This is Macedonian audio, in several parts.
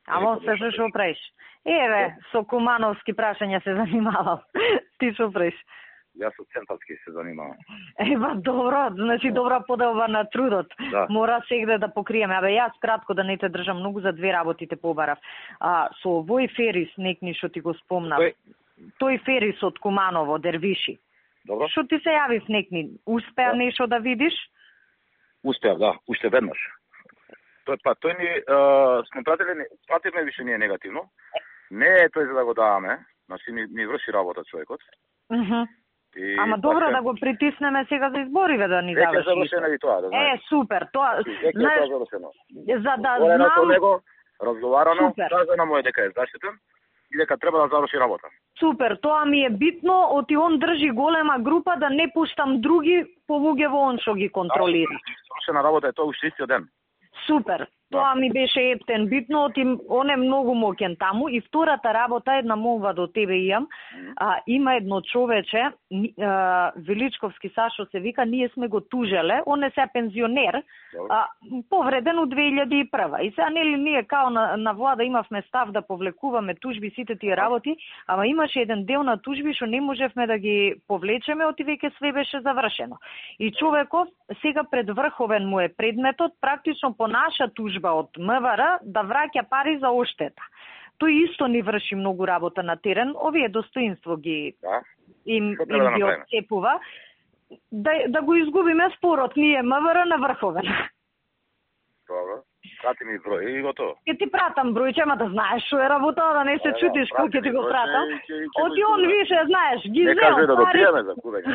Амо, се што правиш? Еве, со кумановски прашања се занимавам. Ти што правиш? Јас со центарски се занимавам. Ева, добро, значи добра поделба на трудот. Да. Мора сегде да покриеме. Абе, јас кратко да не те држам многу, за две работите побарав. Со овој Ферис, некни што ти го спомнав. Тој Ферис од Куманово, Дервиши. Добро. Што ти се јави в некни? Успеа нешто да видиш? Успеав, да, уште веднаш. Тој ни сме пратиле више не е негативно. Не е тој за да го даваме, значи ни врши работа човекот. Ама добро да го притиснеме сега за избориве да ни даваш. Веќе завршено и тоа, да знаеш. Супер, тоа. Знаеш, завршено. За да знам. Со него разговарано, Супер. кажано му е дека е заштитен и дека треба да заврши работа. Супер, тоа ми е битно, оти он држи голема група да не пуштам други повуќе во он што ги контролира. Завршена работа е тоа уште истиот ден. Супер. Тоа ми беше ептен битно, он е многу моќен таму. И втората работа, една молба до тебе имам. Има едно човече, Величковски Сашо се вика, ние сме го тужеле, он е се пензионер, повреден од 2001. И сега нели ние као на влада имавме став да повлекуваме тужби сите тие работи, ама имаше еден дел на тужби што не можевме да ги повлечеме, оти веќе све беше завршено. И човеков сега пред врховен му е предметот, практично по наша тужба од МВР да враќа пари за оштета. Тој исто ни врши многу работа на терен, овие достоинство ги им ги отцепува. Да го изгубиме спорот ние МВР на врховен. Добро. Прати ми број и готово. Ке ти пратам бројче, ама да знаеш што е работа, да не се чудиш кога ќе ти го пратам. Оти он више, знаеш, ги зел парите. Не кажи да допиеме за кубење.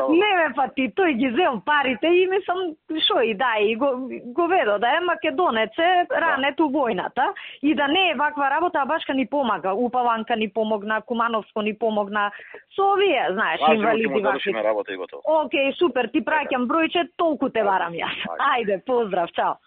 Не ме па ти, тој ги зел парите и мислам, шо и да, и го ведо, да е македонеце, ранет у војната, и да не е ваква работа, а башка ни помага. Упаванка ни помогна, Кумановско ни помогна, со овие, знаеш, инвалиди вакви. Работа и готово. Океј, супер, ти праќам бројче, толку те барам јас. Ајде, поздрав, чао.